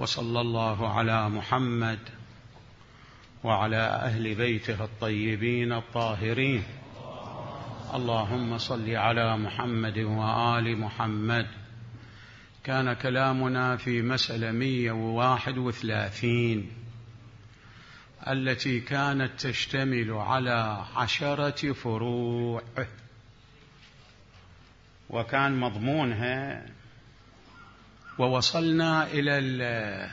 وصلى الله على محمد وعلى أهل بيته الطيبين الطاهرين. اللهم صل على محمد وآل محمد. كان كلامنا في مسألة 131 التي كانت تشتمل على 10 فروع، وكان مضمونها، ووصلنا إلى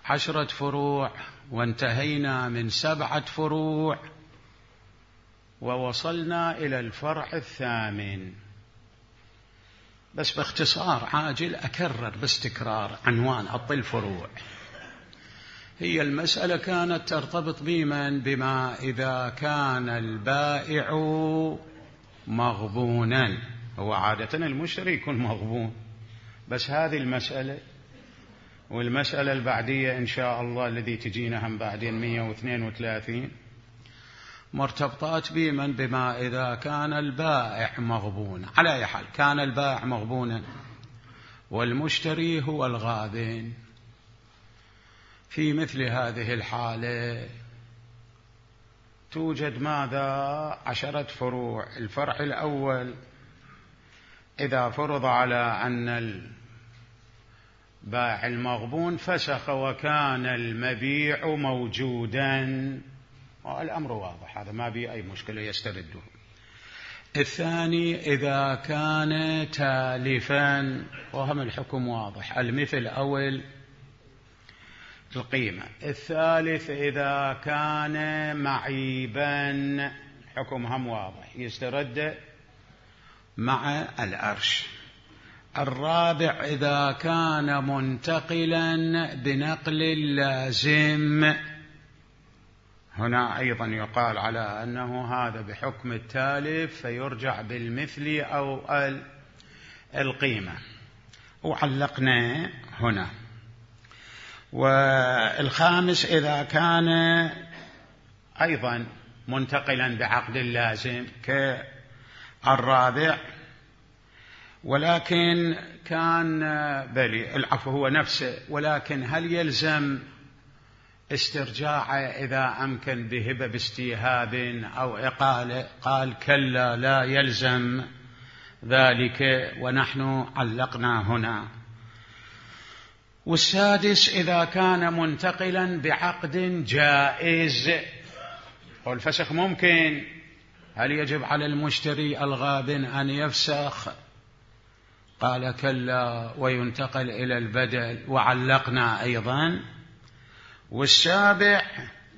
10 فروع وانتهينا من 7 فروع، ووصلنا إلى الفرع 8. بس باختصار عاجل أكرر باستكرار عنوان حط الفروع. هي المسألة كانت ترتبط بما إذا كان البائع مغبونا. هو عادة المشتري يكون مغبون، بس هذه المسألة والمسألة البعدية إن شاء الله الذي تجينا هم بعدين 132 مرتبطات بما إذا كان البائع مغبونا. على أي حال كان البائع مغبونا والمشتري هو الغابن. في مثل هذه الحالة توجد ماذا؟ 10 فروع. الفرع الأول: إذا فرض على أن البائع المغبون فسخ وكان المبيع موجودا، الأمر واضح، هذا ما بي أي مشكلة يسترده. الثاني: إذا كان تالفا، وهم الحكم واضح، المثل أول القيمة. الثالث: إذا كان معيبا، حكم هم واضح، يسترد مع الأرش. الرابع: إذا كان منتقلا بنقل اللازم، هنا أيضا يقال على أنه هذا بحكم التالف فيرجع بالمثل أو القيمة، وعلقنا هنا. والخامس: إذا كان أيضا منتقلا بعقد اللازم كالرابع، ولكن كان العفو هو نفسه، ولكن هل يلزم استرجاعه إذا أمكن بهبة باستيهاب أو إقالة؟ قال كلا، لا يلزم ذلك، ونحن علقنا هنا. والسادس: إذا كان منتقلا بعقد جائز، والفسخ ممكن، هل يجب على المشتري الغابن أن يفسخ؟ قال كلا، وينتقل إلى البدل، وعلقنا أيضا. والسابع: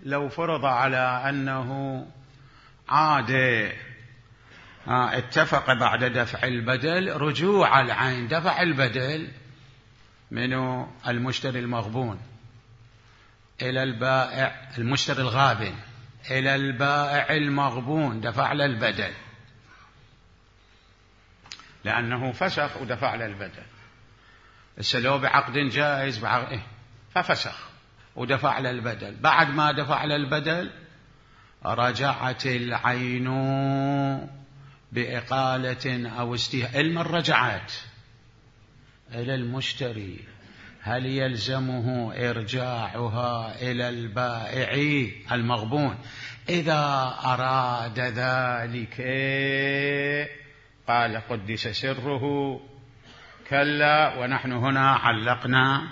لو فرض على أنه عاد اتفق بعد دفع البدل رجوع العين، دفع البدل من المشتري المغبون إلى البائع، المشتري الغابن إلى البائع المغبون، دفع له البدل لأنه فسخ ودفع له البدل. لو بعقد جائز ففسخ ودفع له البدل، بعد ما دفع له البدل رجعت العين بإقالة أو استيهاب. علما رجعت إلى المشتري، هل يلزمه إرجاعها إلى البائع المغبون؟ إذا أراد ذلك قال قدس سره كلا، ونحن هنا علقنا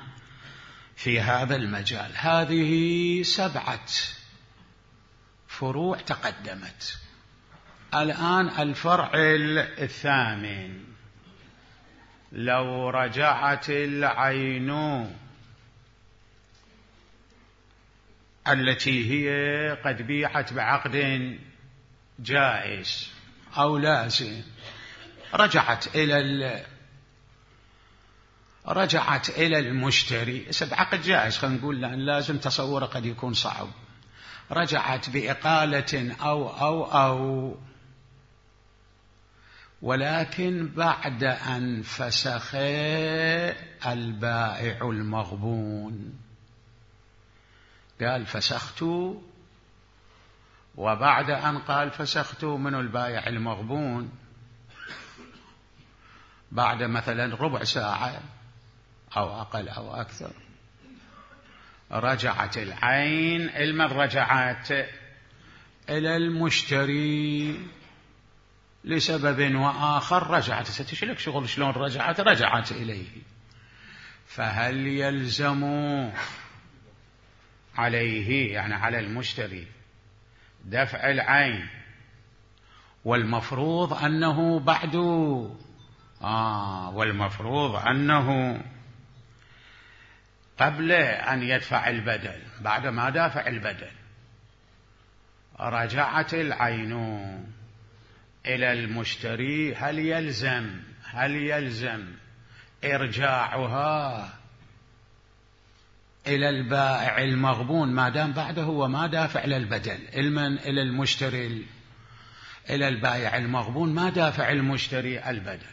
في هذا المجال. هذه 7 فروع تقدمت. الآن الفرع 8: لو رجعت العين التي هي قد بيعت بعقد جائز أو لازم، رجعت إلى المشتري. بعقد جائز خلينا نقول، لأن لازم تصوره قد يكون صعب. رجعت بإقالة أو ولكن بعد أن فسخ البائع المغبون. قال فسخت، وبعد أن قال فسخت من البائع المغبون بعد مثلا ربع ساعة أو أقل أو أكثر رجعت العين لمن رجعت؟ إلى المشتري لسبب وآخر رجعت. ستشلك شغل شلون رجعت إليه. فهل يلزم عليه يعني على المشتري دفع العين والمفروض أنه بعد والمفروض أنه قبل أن يدفع البدل بعد ما دافع البدل رجعت العين إلى المشتري، هل يلزم إرجاعها إلى البائع المغبون ما دام بعده وما دافع للبدل؟ إلى المشتري إلى البائع المغبون ما دافع المشتري البدل.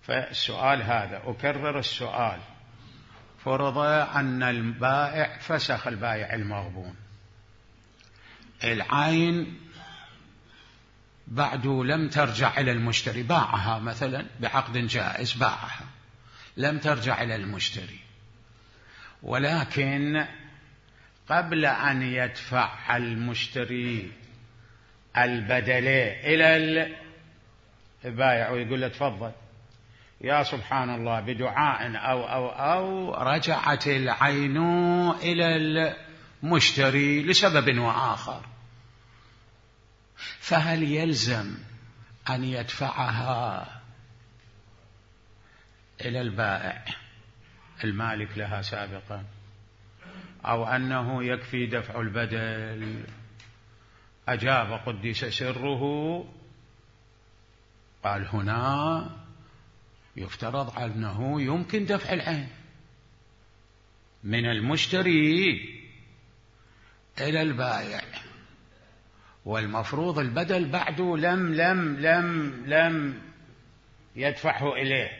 فالسؤال هذا أكرر السؤال، فرض أن البائع فسخ البائع المغبون، العين بعد لم ترجع إلى المشتري، باعها مثلا بعقد جائز، باعها لم ترجع إلى المشتري، ولكن قبل أن يدفع المشتري البدل إلى البائع ويقول له تفضل، يا سبحان الله بدعاء أو رجعت العين إلى المشتري لسبب وآخر، فهل يلزم أن يدفعها إلى البائع المالك لها سابقا، أو أنه يكفي دفع البدل؟ أجاب قدس سره، قال هنا يفترض أنه يمكن دفع العين من المشتري إلى البائع، والمفروض البدل بعده لم يدفعه إليه،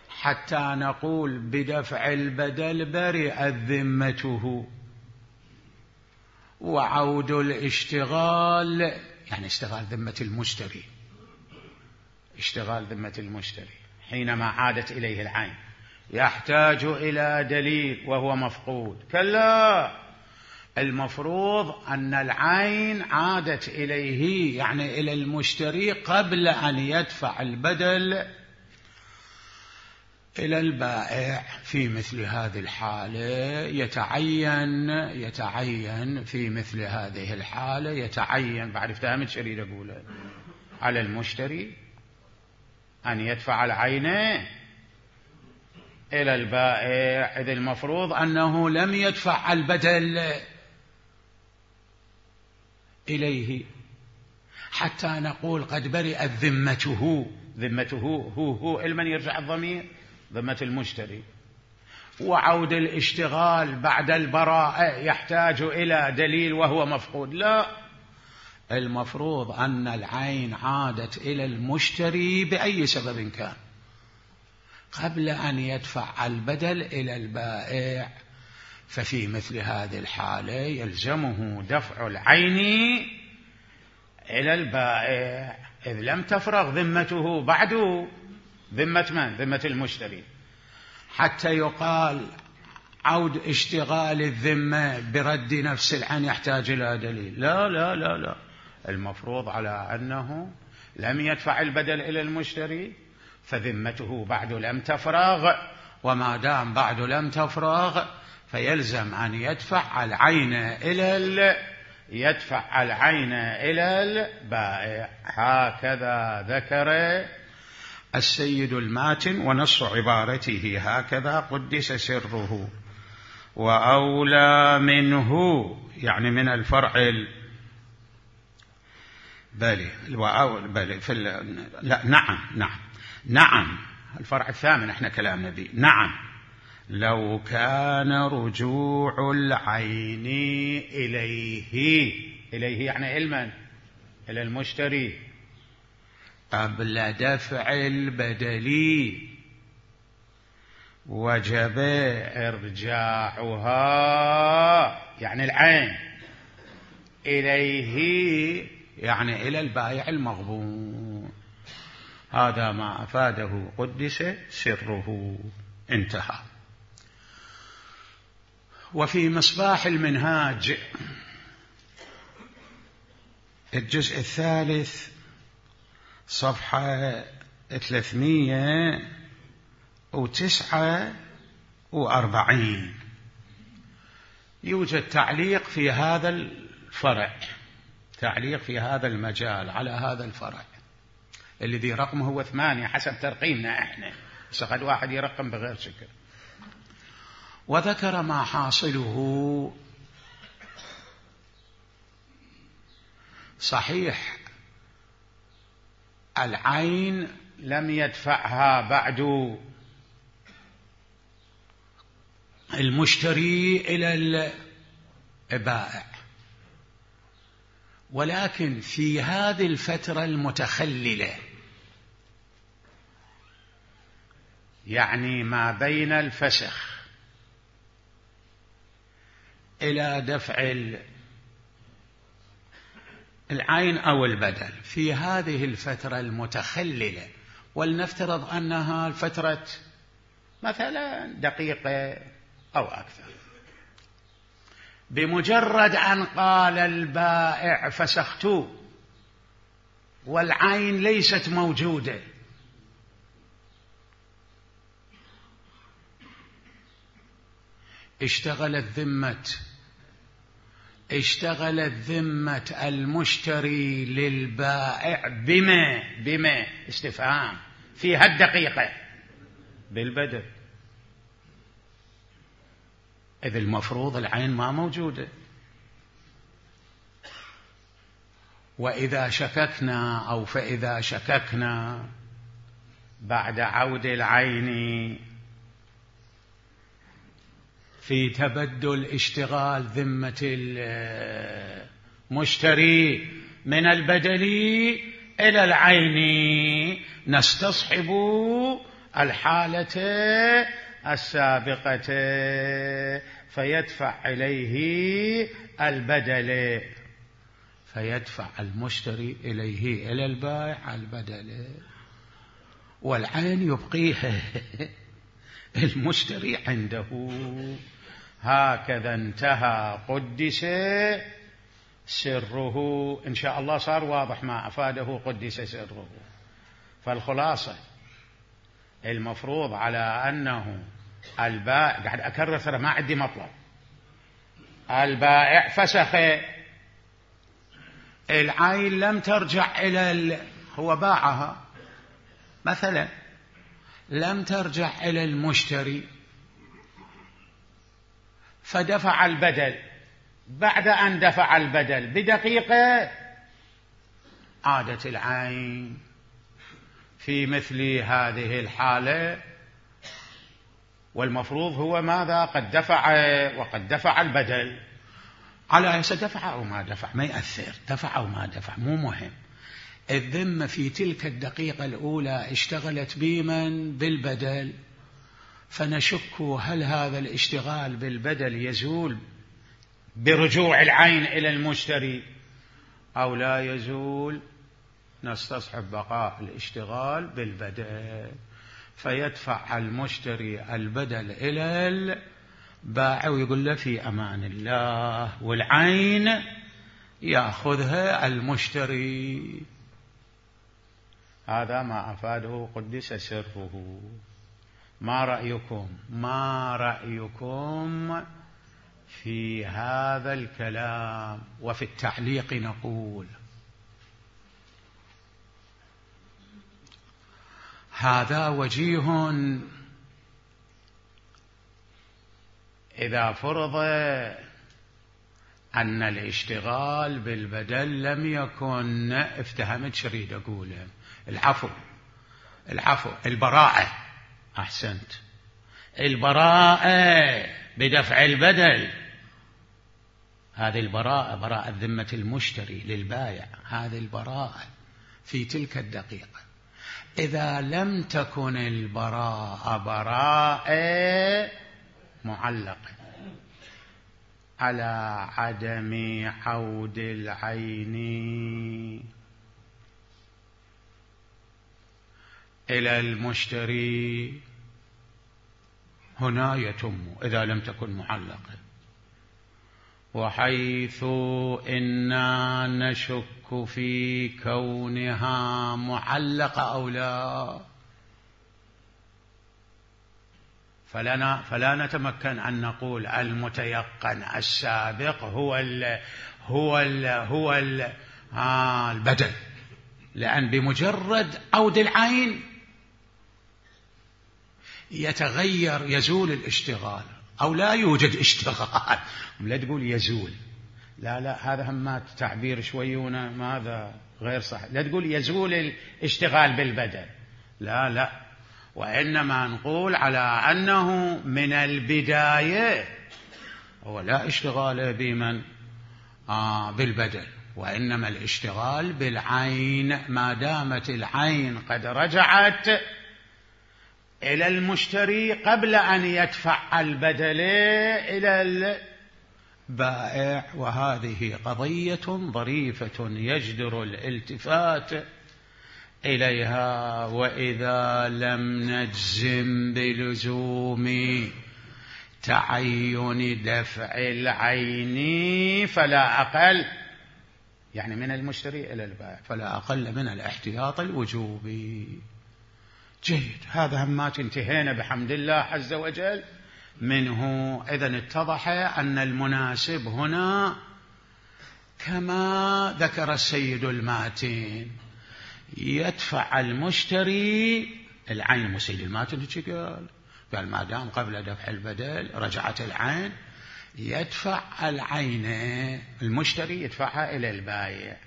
حتى نقول بدفع البدل برئت ذمته، وعود الاشتغال يعني اشتغال ذمة المشتري، اشتغال ذمة المشتري حينما عادت إليه العين يحتاج إلى دليل وهو مفقود. كلا، المفروض أن العين عادت إليه يعني إلى المشتري قبل أن يدفع البدل إلى البائع. في مثل هذه الحالة يتعين في مثل هذه الحالة يتعين، بعد فهمت شريد أقوله، على المشتري أن يدفع العين إلى البائع، إذ المفروض أنه لم يدفع البدل إليه، حتى نقول قد برئت ذمته هو لمن يرجع الضمير؟ ذمة المشتري. وعود الاشتغال بعد البراءة يحتاج إلى دليل وهو مفقود. لا، المفروض أن العين عادت إلى المشتري بأي سبب كان قبل أن يدفع البدل إلى البائع، ففي مثل هذه الحالة يلزمه دفع العين إلى البائع، إذ لم تفرغ ذمته بعد. ذمة من؟ ذمة المشتري، حتى يقال عود اشتغال الذمة برد نفس العين يحتاج إلى دليل. لا لا لا لا، المفروض على أنه لم يدفع البدل إلى المشتري فذمته بعد لم تفرغ، وما دام بعد لم تفرغ فيلزم أن يدفع العين إلى البائع. هكذا ذكر السيد الماتن، ونص عبارته هكذا قدس سره. وأولى منه يعني من الفرع نعم الفرع الثامن احنا كلامنا به. نعم، لو كان رجوع العين إليه يعني إلى المشتري قبل دفع البدل وجب إرجاعها يعني العين إليه يعني إلى البائع المغبون. هذا ما أفاده قدس سره. انتهى. وفي مصباح المنهاج الجزء الثالث صفحة 349 يوجد تعليق في هذا الفرع، تعليق في هذا المجال على هذا الفرع الذي رقمه هو 8 حسب ترقيمنا احنا، بس قد واحد يرقم بغير شكل. وذكر ما حاصله صحيح العين لم يدفعها بعد المشتري إلى البائع، ولكن في هذه الفترة المتخللة، يعني ما بين الفسخ إلى دفع العين أو البدل، في هذه الفترة المتخللة، ولنفترض أنها الفترة مثلا دقيقة أو أكثر، بمجرد أن قال البائع فسخت والعين ليست موجودة، اشتغلت ذمة المشتري للبائع بما استفهام في هالدقيقة بالبدل، إذ المفروض العين ما موجودة. فإذا شككنا بعد عود العين في تبدل اشتغال ذمة المشتري من البدل إلى العين، نستصحب الحالة السابقة فيدفع إليه البدل، فيدفع المشتري إليه إلى البائع البدل، والعين يبقيها المشتري عنده. هكذا انتهى قدس سره. إن شاء الله صار واضح ما أفاده قدس سره. فالخلاصة المفروض على أنه البائع، قاعد أكرر ترى ما عندي مطلب، البائع فسخ، العين لم ترجع هو باعها مثلا، لم ترجع إلى المشتري، فدفع البدل. بعد أن دفع البدل بدقيقة عادت العين في مثل هذه الحالة، والمفروض هو ماذا؟ قد دفع وقد دفع البدل، على أساس دفع أو ما دفع ما يأثر، دفع أو ما دفع مو مهم. الذمة في تلك الدقيقة الأولى اشتغلت بمن؟ بالبدل، فنشك هل هذا الاشتغال بالبدل يزول برجوع العين إلى المشتري أو لا يزول، نستصحب بقاء الاشتغال بالبدل، فيدفع المشتري البدل إلى البائع ويقول له في أمان الله، والعين يأخذها المشتري. هذا ما أفاده قدس سره. ما رأيكم في هذا الكلام؟ وفي التعليق نقول هذا وجيه إذا فرض أن الاشتغال بالبدل لم يكن، افتهمت شريد أقوله، العفو البراءة، أحسنت، البراءة بدفع البدل، هذه البراءة، براءة ذمة المشتري للبائع، هذه البراءة في تلك الدقيقة. إذا لم تكن براءة معلقة على عدم عود العين إلى المشتري، هنا يتم إذا لم تكن معلقة. وحيث إنا نشك في كونها معلقة أو لا، فلا نتمكن أن نقول المتيقن السابق هو البدل، لأن بمجرد عود العين يتغير، يزول الاشتغال أو لا يوجد اشتغال. لا تقول يزول، لا هذا همات تعبير شويونه ماذا غير صح. لا تقول يزول الاشتغال بالبدل، لا، وإنما نقول على أنه من البداية هو لا اشتغال بمن بالبدل، وإنما الاشتغال بالعين ما دامت العين قد رجعت إلى المشتري قبل أن يدفع البدل إلى البائع. وهذه قضية ظريفة يجدر الالتفات إليها. وإذا لم نجزم بلزوم تعين دفع العين فلا أقل، يعني من المشتري إلى البائع، فلا أقل من الاحتياط الوجوبي. جيد، هذا همات انتهينا بحمد الله عز وجل منه. إذن اتضح أن المناسب هنا كما ذكر السيد الماتين، يدفع المشتري العين. مسيد الماتن قال ما دام قبل دفع البدل رجعت العين يدفع العين، المشتري يدفعها إلى البائع.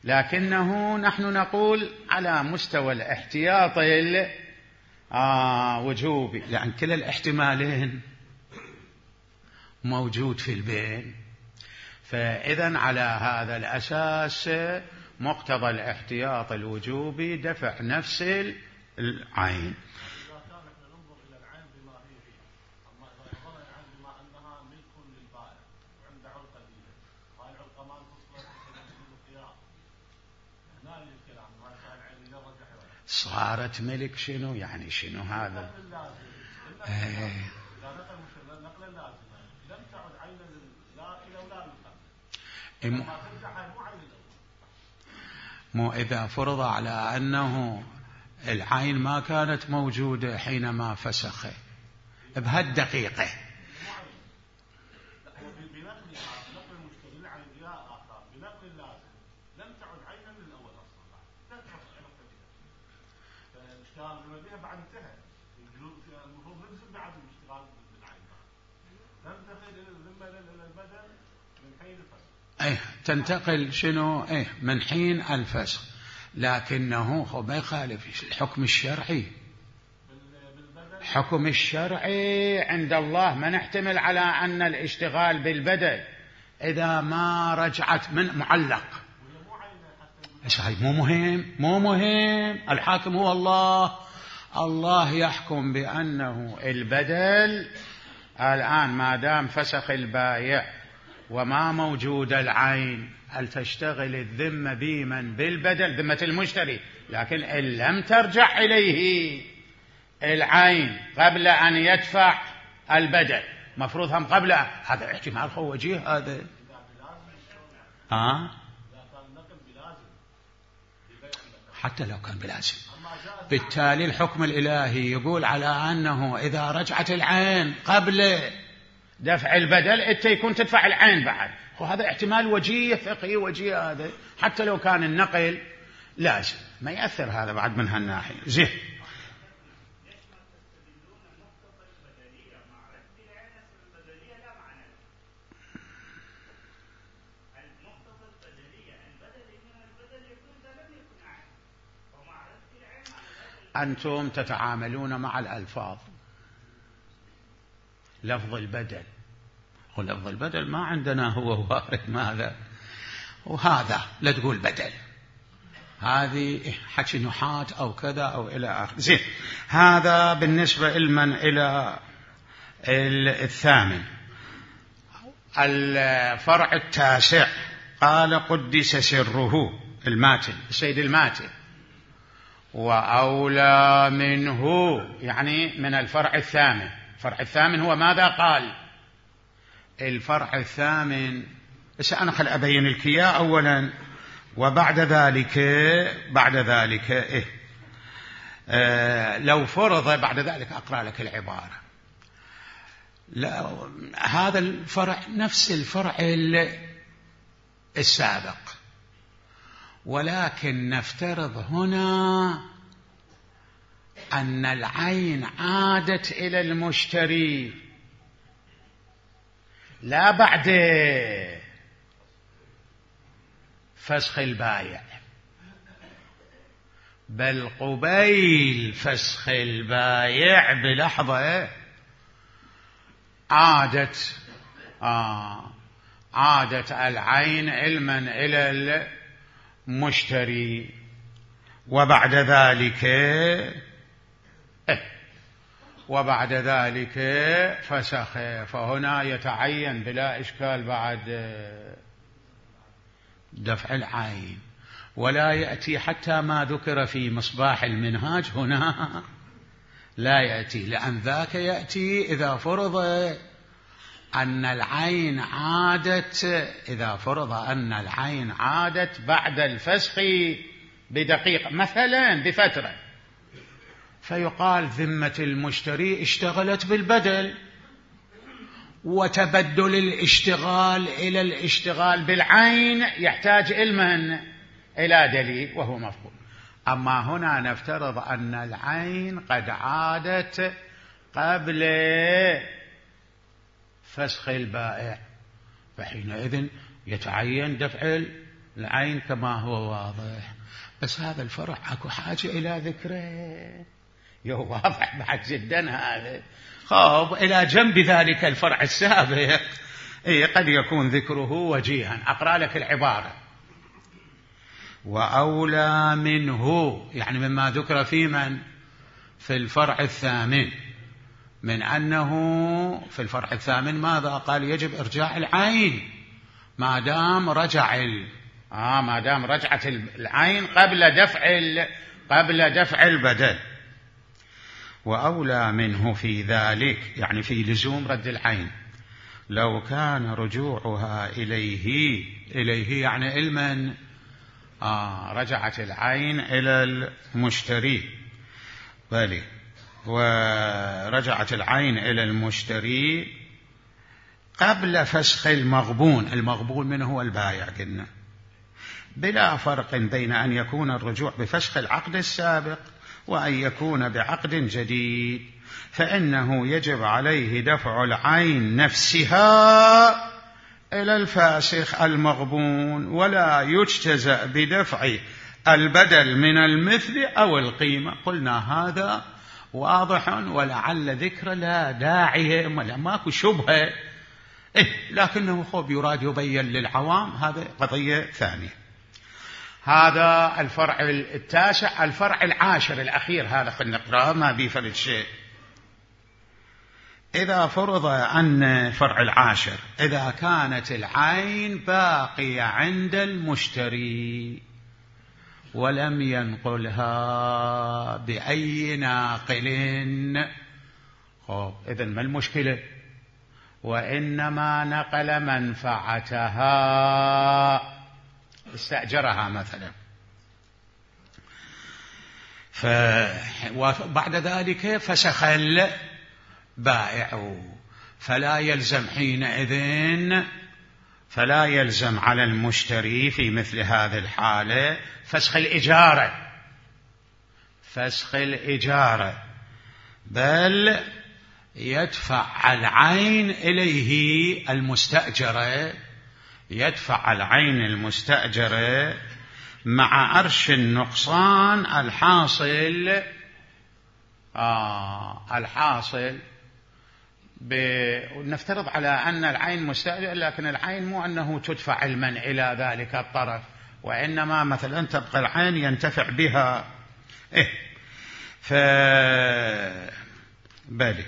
لكنه نحن نقول على مستوى الاحتياط وجوبي، لأن كلا الاحتمالين موجود في البين. فإذن على هذا الأساس مقتضى الاحتياط الوجوبي دفع نفس العين. صارت ملك شنو يعني؟ شنو هذا؟ مو إذا فرض على أنه العين ما كانت موجودة حينما فسخه بهالدقيقة، تنتقل شنو من حين الفسخ. لكنه هو ما يخالف الحكم الشرعي. حكم الشرعي عند الله ما نحتمل على أن الاشتغال بالبدل إذا ما رجعت من معلق. مو مهم. الحاكم هو الله يحكم بأنه البدل الآن ما دام فسخ البائع وما موجود العين، هل تشتغل الذمة بمن بالبدل؟ ذمة المشتري. لكن إن لم ترجع إليه العين قبل أن يدفع البدل، مفروض هم قبل هذا احتمال هو وجيه هذا. حتى لو كان بلازم، بالتالي الحكم الإلهي يقول على أنه إذا رجعت العين قبل دفع البدل أنت يكون تدفع العين بعد. وهذا احتمال وجيه فقهي وجيه هذا، حتى لو كان النقل لازم ما يأثر هذا بعد من هالناحية. زين، أنتم تتعاملون مع الألفاظ. لفظ البدل ولفظ البدل ما عندنا هو وارد ماذا وهذا، لا تقول بدل، هذه حكي نحاة أو كذا أو إلى آخر. زين، هذا بالنسبة لمن إلى الثامن. الفرع التاسع قال قدس سره، الماتن السيد الماتن، وأولى منه يعني من الفرع الثامن. الفرع الثامن هو ماذا قال؟ الفرع الثامن. بس أنا خل أبين لك إياه أولا، وبعد ذلك لو فرض بعد ذلك أقرأ لك العبارة. هذا الفرع نفس الفرع السابق، ولكن نفترض هنا أن العين عادت إلى المشتري لا بعد فسخ البائع، بل قبيل فسخ البائع بلحظة عادت العين علما إلى المشتري، وبعد ذلك فسخ. فهنا يتعين بلا إشكال بعد دفع العين، ولا يأتي حتى ما ذكر في مصباح المنهاج هنا لا يأتي، لأن ذاك يأتي إذا فرض أن العين عادت بعد الفسخ بدقيقة مثلا بفترة، فيقال ذمة المشتري اشتغلت بالبدل، وتبدل الاشتغال إلى الاشتغال بالعين يحتاج إلى دليل وهو مفقود. أما هنا نفترض أن العين قد عادت قبل فسخ البائع، فحينئذ يتعين دفع العين كما هو واضح. بس هذا الفرع أكو حاجة إلى ذكره، واضح بعد جدا هذا. خب إلى جنب ذلك الفرع السابق قد يكون ذكره وجيها. أقرأ لك العبارة: وأولى منه، يعني مما ذكر في الفرع الثامن، من أنه في الفرع الثامن ماذا قال؟ يجب إرجاع العين ما دام رجعت العين قبل دفع البدل. وأولى منه في ذلك، يعني في لزوم رد العين، لو كان رجوعها إليه يعني علما رجعت العين إلى المشتري، بلى، ورجعت العين إلى المشتري قبل فسخ المغبون منه هو البائع قلنا، بلا فرق بين أن يكون الرجوع بفسخ العقد السابق وأن يكون بعقد جديد، فإنه يجب عليه دفع العين نفسها إلى الفاسخ المغبون، ولا يجتزأ بدفع البدل من المثل أو القيمة. قلنا هذا واضح، ولعل ذكر لا داعي ولا ماكو شبهة، لكنه خب يراد يبين للعوام، هذا قضية ثانية. هذا الفرع التاسع. الفرع العاشر الأخير هذا خلنا نقرأه، ما بيفرد شيء. إذا فرض أن فرع العاشر إذا كانت العين باقية عند المشتري ولم ينقلها بأي ناقل، إذن ما المشكلة؟ وإنما نقل منفعتها، استأجرها مثلا، وبعد ذلك فسخ البائع، فلا يلزم على المشتري في مثل هذه الحالة فسخ الإجارة، بل يدفع العين إليه المستأجرة مع أرش النقصان الحاصل نفترض على أن العين مستأجر، لكن العين مو أنه تدفع علما إلى ذلك الطرف، وإنما مثلا تبقى العين ينتفع بها، بلي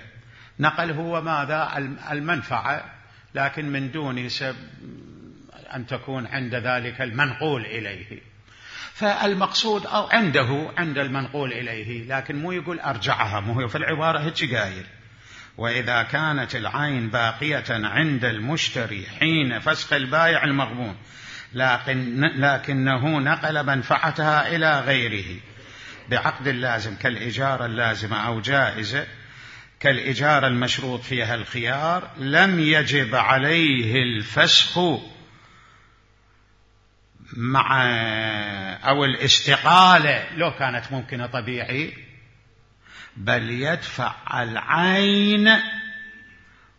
نقل هو ماذا؟ المنفعة، لكن من دون أن تكون عند ذلك المنقول إليه. فالمقصود أو عند المنقول إليه، لكن مو يقول أرجعها، مو هو في العبارة هيك قايل. وإذا كانت العين باقية عند المشتري حين فسخ البائع المغبون لكنه نقل منفعتها إلى غيره بعقد لازم كالإجارة اللازمة أو جائزة كالإجارة المشروط فيها الخيار، لم يجب عليه الفسخ مع أو الاستقالة لو كانت ممكنة طبيعي، بل يدفع العين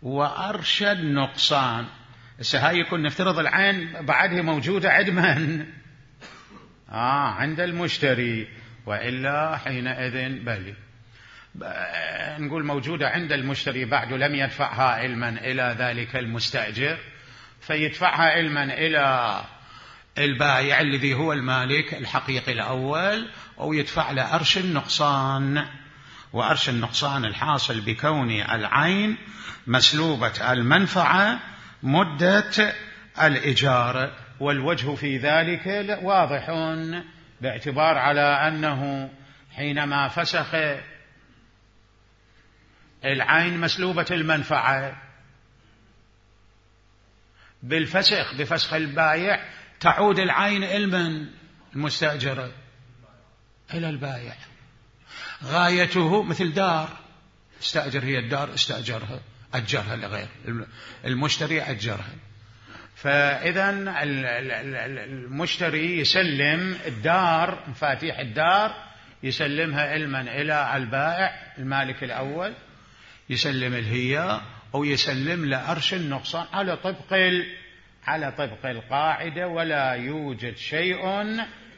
وأرش النقصان. هاي يكون نفترض العين بعدها موجودة عند من؟ عند المشتري، وإلا حينئذ بلي نقول موجودة عند المشتري بعد لم يدفعها علما إلى ذلك المستأجر، فيدفعها علما إلى البائع الذي هو المالك الحقيقي الأول، أو يدفع له أرش النقصان. وأرش النقصان الحاصل بكون العين مسلوبة المنفعة مدة الإجارة، والوجه في ذلك واضح باعتبار على أنه حينما فسخ العين مسلوبة المنفعة بالفسخ بفسخ البائع تعود العين إلى المستأجرة إلى البائع. غايته مثل دار استأجر، هي الدار استأجرها أجرها لغير المشتري أجرها، فإذا المشتري يسلم الدار مفاتيح الدار يسلمها علما إلى البائع المالك الأول، يسلم الهي أو يسلم لأرش النقصان على طبق القاعدة. ولا يوجد شيء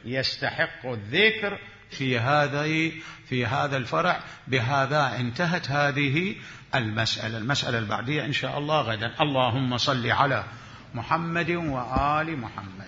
يستحق الذكر في هذا الفرع. بهذا انتهت هذه المسألة البعدية إن شاء الله غدا. اللهم صل على محمد وآل محمد.